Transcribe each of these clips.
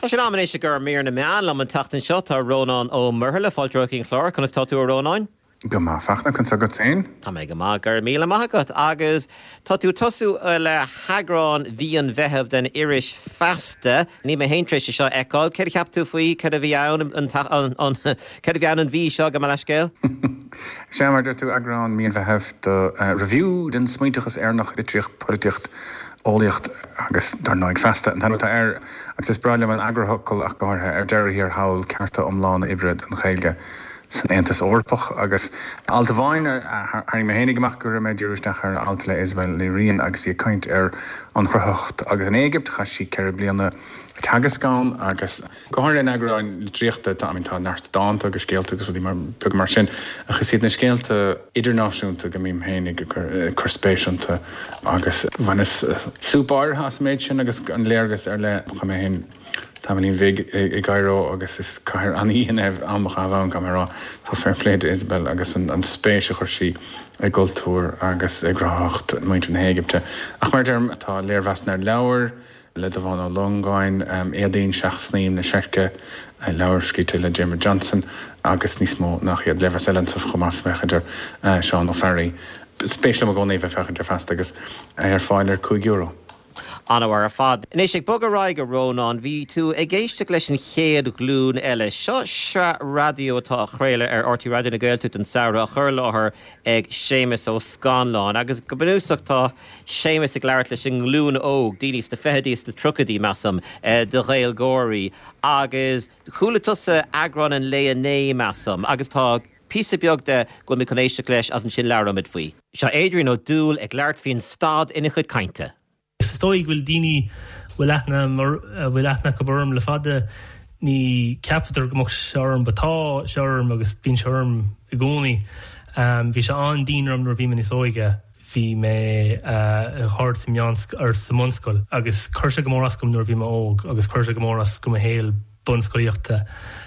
Tá sé in am anois i gcomhair mír na meán. Liom an tseachtain seo tá Rónán Ó Muirthile. Fáilte romhat chuig an chlár. Conas tá tú a Rónáin? Go maith, Fachtna, conas agat féin? Tá mé go maith, go raibh míle maith agat. Agus tá tú ag tosú le heagrán mhí an Mheithimh den iris Feasta. Níl mé féin tar éis é seo a fheiceáil. Céard a cheap tú faoi? Céard a bhí ann an céard a bhí ann an mhí seo, gabh mo leithscéal? Sea, mar a deir tú, eagrán mí an Mheithimh de Review den Smaointeachas Éireannach, Litríocht, Polaitíocht, Eolaíocht agus, dar ndóigh, Feasta an t-ainm atá air. Agus is breá liom an eagarfhocal ach go háirithe, ar deireadh thiar thall, cearta iomlána oibre don Ghaeilge san Aontas Eorpach. Agus alt amháin a tharraing mé fhéinig amach go raibh mé ag díriú isteach ar alt le Isabel Ní Riain agus í ag caint ar an chruthaitheacht agus an Éigipt. Chaith sí 4 bliana ag teagasc ann agus go háirithe in eagráin litríochta, tá, I mean, tá neart dánta agus scéalta agus rudaí mar, beaga mar sin, ach is iad na scéalta idirnáisiúnta go mbím féinig ag cur spéis iontu agus bhaineas súp áirithe as an méid sin agus an léargas ar leith. Chaith mé féin tamaillín bhig i gCairo agus is cathair an-aoibhinn é am a chaitheamh ann, caithfidh mé a rá. So fair play do Isabel agus an spéis a chuir sí i gcultúr agus i gcruthaitheacht muintir na hÉigipte. Ach mar a deirim, tá léirmheasanna ar leabhair le Dubhán Ó Longáin, Éadaoin, Seach-Snaidhm na Seirce, leabhar scríte le Diarmuid Johnson agus níos mó nach iad. Léirmheas eile anso chomh maith féachaint ar Seán Ó Fearraigh. Spéis liom i gcónaí a bheith féachaint ar Feasta agus é ar fáil ar €5. An-mhaith ar fad. Anois, ag bogadh ar aghaidh, a Rónáin, bhí tú ag éisteacht leis an chéad ghlúin eile. Seo sraith raidió atá á chraoladh ar RTÉ Raidió na Gaeltachta don samhradh, á chur i láthair ag Séamus Ó Scanláin. Agus go bunúsach tá Séamus ag labhairt leis an nglúin óg, daoine sna fichidí is sna tríochaidí, measaim, de Ghaeilgeoirí. Agus chuala tusa eagrán an lae inné, measaim, agus tá píosa beag de go bhfuil muid chun éisteacht leis agus ansin labhróimid faoi. Seo Adrian Ó Dúill ag labhairt faoin stad ina chuid cainte. Is dóigh go bhfuil daoine a bhfuil aithne a bhfuil aithne acu orm le fada, ní cheapfadar go mbeadh sé orm but tá sé orm agus bíonn sé orm i gcónaí. Bhí sé an-dian orm nuair a bhí mé níos óige. Bhí mé thart sa meánscoil or sa mbunscoil agus chuir sé go mór as dom nuair a bhí mé óg agus chuir sé go mór as do mo shaol bunscolaíochta.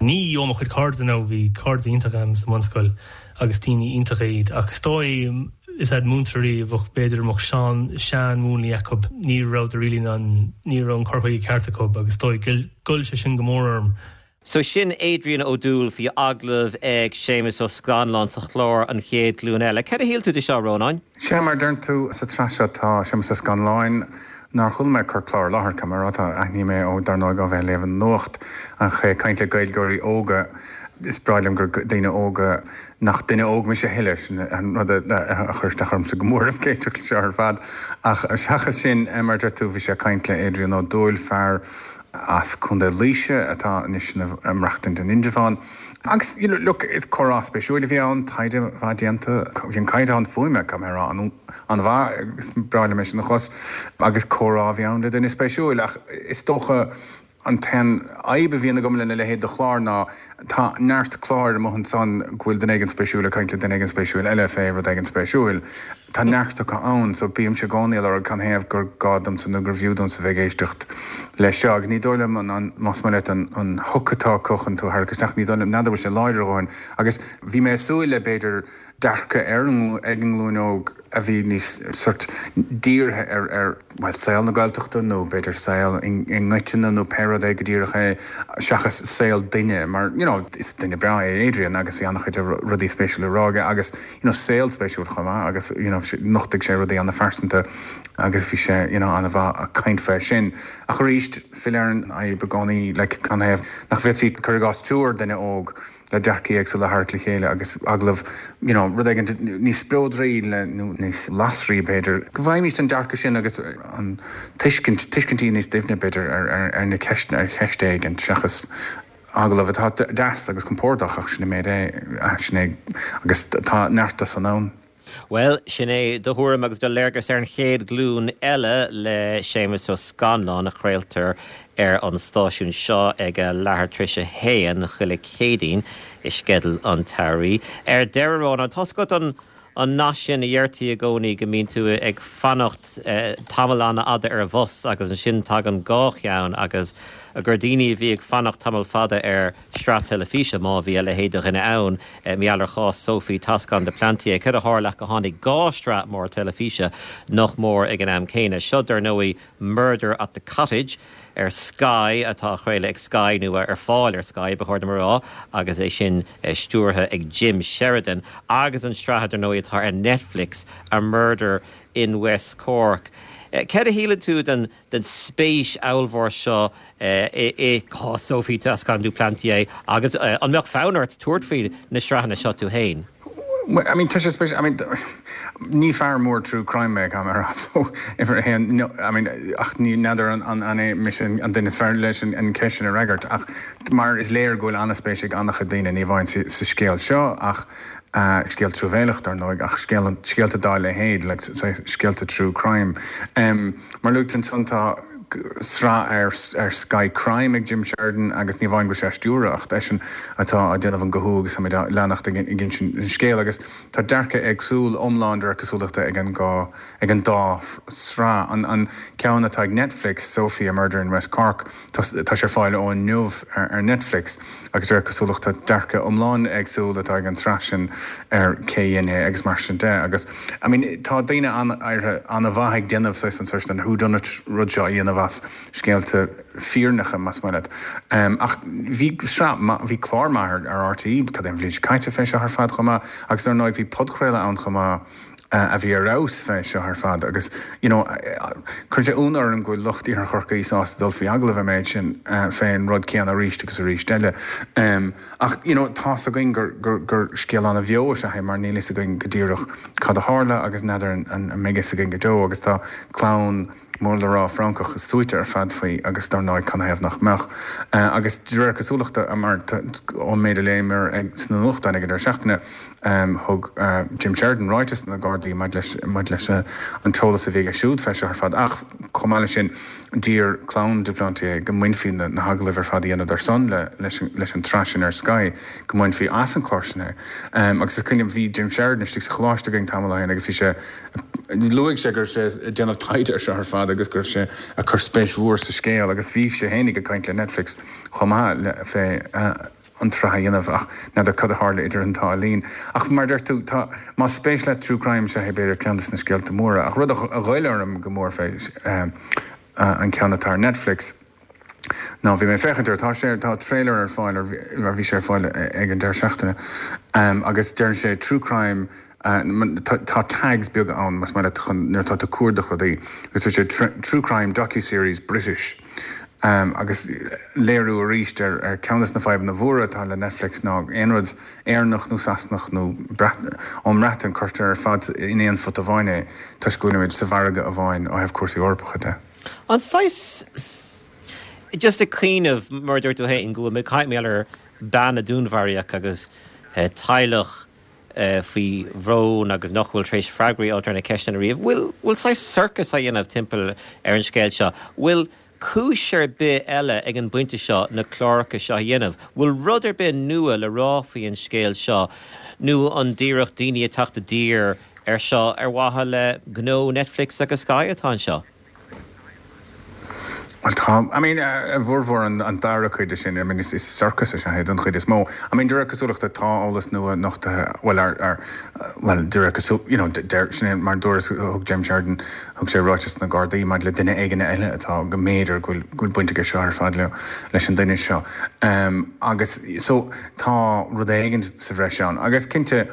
Ní ó mo chuid cairde nó bhí cairde iontacha agam sa mbunscoil agus daoine iontacha iad ach is dóigh is iad múinteoirí a bheadh b'fhéidir a mbeadh sean sean-mhúnlaí acu ní rabhadar really in ann ní raibh an cur chuige ceart acu agus is dóigh ghoill sé sin go mór orm. So sin Adrian Ó Dúill faoi agallamh ag Séamus Ó Scanláin sa chlár An Chéad Ghlúin Eile. Céard a shíl tú de seo, a Rónáin? Sea, mar a deireann tú, sa tsraith seo tá Séamus Ó Scanláin, nár chuala mé ag cur clár i láthair, caithfidh mé a rá, tá, aithním é ó, dar ndóigh, ó bheith ag léamh an nuacht, ach é ag caint le Gaeilgeoirí óga, is breá liom gur daoine óga, nach duine óg mise a thuilleadh, sin an rud a chuir isteach ormsa go mór ag éisteacht leis seo ar fad. Ach seachas sin, mar a deir tú, bhí sé ag caint le Adrian Ó Dúill, fear as Contae Laoise atá anois ina maireachtaint in Indreabhán. Agus, you know, look, is comhrá spéisiúil a bhí ann, taighde mhaith déanta, bhí an caighdeán fuaime, caithfidh mé a rá, an-mhaith agus breá liom é sin a chlos, agus comhrá a bhí ann le duine spéisiúil. Ach is dócha an t-aon fhadhb a bhíonn agam lena leithéid de chlár ná tá neart cláir amuigh ansan go bhfuil duine éigin spéisiúil ag caint le duine éigin spéisiúil eile fé rud éigin spéisiúil. Tá neart acu ann so bímse i gcónaí ag lorg canathaobh gur gá domsa nó gur bhfiú domsa bheith ag éisteacht leis seo agus ní dóigh liom an, an, más maith leat an, an hook atá acu chun tú a tharrac isteach, ní dóigh liom, n'fheadar bhfuil sé láidir a dhóthain agus bhí mé ag súil le b'fhéidir dearcadh ar an, ag an nglúin óg a bhí níos sort dírithe ar, ar, bhuel, saol na Gaeltachta nó b'fhéidir saol i gcoitinne nó pé rud é go díreach é seachas saol duine mar, you know, is duine breá é Adrian agus bhí an-chuid rudaí spéisiúla le rá aige agus, you know, saol spéisiúil chomh maith agus, you know, nochtaigh sé rudaí an-phearsanta agus bhí sé, you know, an-mhaith ag caint fé sin. Ach arís, fill ar an fhadhb i gcónaí, like, canathaobh nach bhféadfaí, cuir i gcás, triúr duine óg le dearcaí éagsúla a tharrac le chéile agus agallamh, you know, rud éigin níos spleodraí le, nó níos lasraí b'fhéidir, go bhfaighimís an dearcadh sin agus an tuiscint, tuiscintí níos doimhne b'fhéidir ar, ar, ar na ceisteanna, ar cheist éigin seachas agallamh atá deas agus compordach ach sin an méid é, sin é agus tá neart de san ann. Bhuel, sin é do thuairim agus do léargas ar an chéad ghlúin eile le Séamus Ó Scanláin a chraoltar ar an stáisiún seo ag a leathuair tar éis a haon chuile Chéadaoin i sceideal an tsamhraidh. Ar deireadh, Rónán, tá a fhios agat an. an nath sin a dheirtí i gcónaí go mbíonn tú ag fanacht tamall an-fhada ar bhus agus ansin tagann 2 cheann agus gur daoine a bhí ag fanacht tamall fada ar shraith teilifíse, má bhí a leithéid de dhuine ann, mar gheall ar chás Sophie Toscan du Plantier. Céard a tharla ach go tháinig 2 shraith mhór teilifíse nach mór ag an am céanna. Seo, dar ndóigh, Murder at the Cottage ar Sky, atá á chraoladh ag Sky, nó ar fáil ar Sky, ba chóir dom a rá, agus é sin stiúrtha ag Jim Sheridan, agus an tsraith, dar ndóigh, atá ar Netflix, A Murder in West Cork. Céard a shíleann tú den den spéis ollmhór seo i gcás Sophie Toscan du Plantier agus an mbeadh fonn ort tabhairt faoi na sraitheanna seo tú féin? Well, I mean, tá sé spéisiúil, I mean, ní fear mór true crime mé, caithfidh mé a rá, so, uimhir a haon, no, I mean, ach ní, n'fheadar an, an, an é mise an duine is fearr leis an, an cheist sin a fhreagairt, ach mar is léir go bhfuil an-spéis ag an-chuid daoine, ní amháin sa, sa scéal seo ach, scéal truamhéalach, dar ndóigh, ach scéal, scéalta dá leithéid, like, scéalta true crime. Mar a luaigh tú ansan, tá sraith ar ar Sky Crime ag Jim Sheridan agus ní amháin go bhfuil sé á stiúradh ach eisean atá á déanamh an guthú agus táimid á leanacht ag insint an scéil agus tá dearcadh éagsúil iomlán de réir cosúlachta ag an dhá ag an dá shraith. An an ceann atá ag Netflix, Sophie, A Murder in West Cork, tá tá sé ar fáil ó inniu ar ar Netflix agus de réir cosúlachta dearcadh iomlán éagsúil atá ag an tsraith sin ar cé dhein é agus mar sin de agus I mean tá daoine an-éirithe an-mhaith ag déanamh saghas an sórt an whodunit rud seo a dhéanamh as scéalta fírinneacha más maith leat. Ach bhí sraith maith, bhí clár maith ar ar RTÉ cad é an bhliain seo caite fé seo ar fad chomh maith agus dar ndóigh bhí podchraoladh ann chomh maith a bhí ar fheabhas fé seo ar fad agus you know cuireann sé ionadh orm go bhfuil lucht Iarthar Chorcaí sásta dul faoi agallamh an méid sin fén rud céanna arís agus arís eile. Ach you know tá's againn gur gur gur scéal an-bheo is ea é mar níl fhios againn go díreach cad a tharla agus n'fheadar an mbeidh fhios againn go deo agus tá clann mór le rá Francach suaite ar fad faoi agus dar ndóigh canathaobh nach mbeadh. Agus de réir cosúlachta, mar ón méid a léamar sna nuachtáin ag an deireadh seachtaine, thug Jim Sheridan ráiteas do na Gardaí maidir leis an t-eolas a bhí aige siúd fé seo ar fad. Ach chomh maith leis sin, d'iarr clann du Plantier go mbainfí na hagallaimh ar fad a dhéanadar san leis an tsraith sin ar Sky, go mbainfí as an chlár sin é. Agus is cuimhin liom, bhí Jim Sheridan istigh sa choláiste againn tamall ó shin agus bhí sé, Luaigh sé go raibh sé ag déanamh taighde ar seo ar fad agus go raibh sé ag cur spéis mhór sa scéal agus bhí sé fhéinig ag caint le Netflix chomh maith le fé an tsraith a dhéanamh ach n'fheadar cad a tharla idir an dá linn. Ach mar a deir tú, tá, más spéis leat true crime, seo é b'fhéidir ceann de na scéalta móra. Ach rud a ghoill orm go mór fé an ceann atá ar Netflix, ná bhí mé ag féachaint air, tá sé, tá trailer ar fáil, ar, bhí sé ar fáil ag an deireadh seachtaine, agus deireann sé true crime, tá, tá tags beaga ann más maith leat chun, nuair atá tú ag cuardach rudaí, agus tá sé true crime docu-series British, agus léiriú arís ar, ar ceann de na fadhbanna mhóra atá le Netflix ná aon rud Éireannach nó Sasanach nó ón mBreatain, cuirtear ar fad in aon phota amháin é toisc go bhfuilimid sa mhargadh amháin ó thaobh cúrsaí Eorpacha de. An saghas, just ag cuimhneamh, mar a dúirt tú féin, go bhfuil muid ag caint mar gheall ar bean a dúnmharaíodh agus teaghlach faoi bhrón agus nach bhfuil tar éis freagraí a fháilt ar na ceisteanna riamh, bhfuil, bhfuil saghas sorcas á dhéanamh timpeall ar an scéal seo? Bhfuil cúis ar bith eile ag an bpointe seo na cláracha seo a dhéanamh? Bhfuil rud ar bith nua le rá faoi an scéal seo nó an díreach daoine ag teacht i dtír ar seo ar mhaithe le gnó Netflix agus Sky atá anseo? Bhuel tá, I mean, i bhformhór an dara cuid de sin, I mean, is sorcas is ea é don chuid is mó. I mean, de réir cosúlachta tá eolas nua nochtaithe, bhuel, ar, ar, bhuel, de réir cosúil, you know, deir, sin é mar dúras, thug Jim Sheridan, thug sé ráiteas do na Gardaí maidir le duine éigin eile atá, go mb'fhéidir go bhfuil, go bhfuil baint aige seo ar fad leo, leis an duine seo. Agus, so, tá rud éigin sa bhreis ann. Agus cinnte,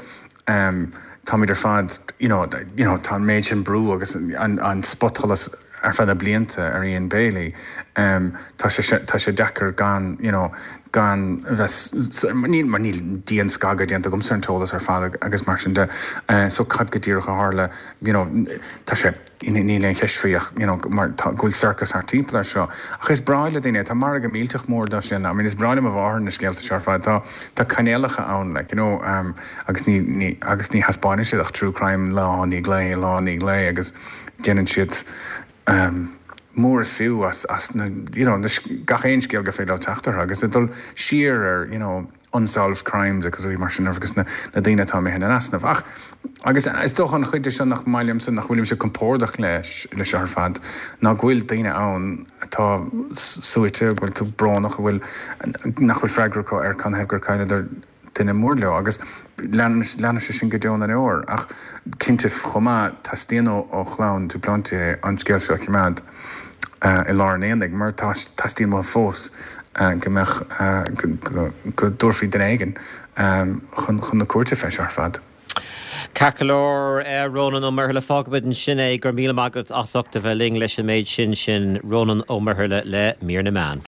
Táimid ar fad, you know, you know, tá an méid sin brú agus an, an spotsholas ar feadh na blianta ar Ian Bailey. Tá sé, tá sé deacair gan, you know, gan a bheith, níl, mar níl dianscagadh déanta agamsa ar an t-eolas ar fad agus mar sin de. So cad go díreach a tharla, you know, tá sé, Níl aon cheist faoi ach you know mar tá go bhfuil sorcas thart timpeall air seo. Ach is breá le daoine é, tá margadh millteach mór dó sin. I mean is breá le mo mháthair na scéalta seo ar fad. Tá tá cainéalacha ann like you know um, agus ní ní agus ní thaispeánann siad ach true crime lá i ndiaidh lae, lá i ndiaidh lae agus déanann siad um, mór is fiú as as na you know na gach aon scéal gur féidir leo teacht orthu agus ag dul siar ar you know. Unsolved Crimes agus rudaí mar sin agus na daoine atá imithe in easnamh. Ach, agus is dócha an chuid de seo nach maith liomsa, nach bhfuilimse compordach leis, leis seo ar fad, ná go bhfuil daoine ann atá suaite, go bhfuil tú brónach, a bhfuil, nach bhfuil freagra acu ar canathaobh gur cailleadar duine mór leo. Agus leanfaidh sé sin go deo na ndeor. Ach cinnte chomh maith, teastaíonn ó chlann Duplantier an scéal seo a choimeád i lár an aonaigh mar teastaíonn uathu fós go mbeadh, go dtabharfaí duine éigin chun na cúirte fé seo ar fad. Ceart go leor, Rónán Ó Muirthile, fágfaimid ansin é. Go raibh míle maith agat as ucht a bheith linn leis an méid sin. Sin Rónán Ó Muirthile le Mír na Meán.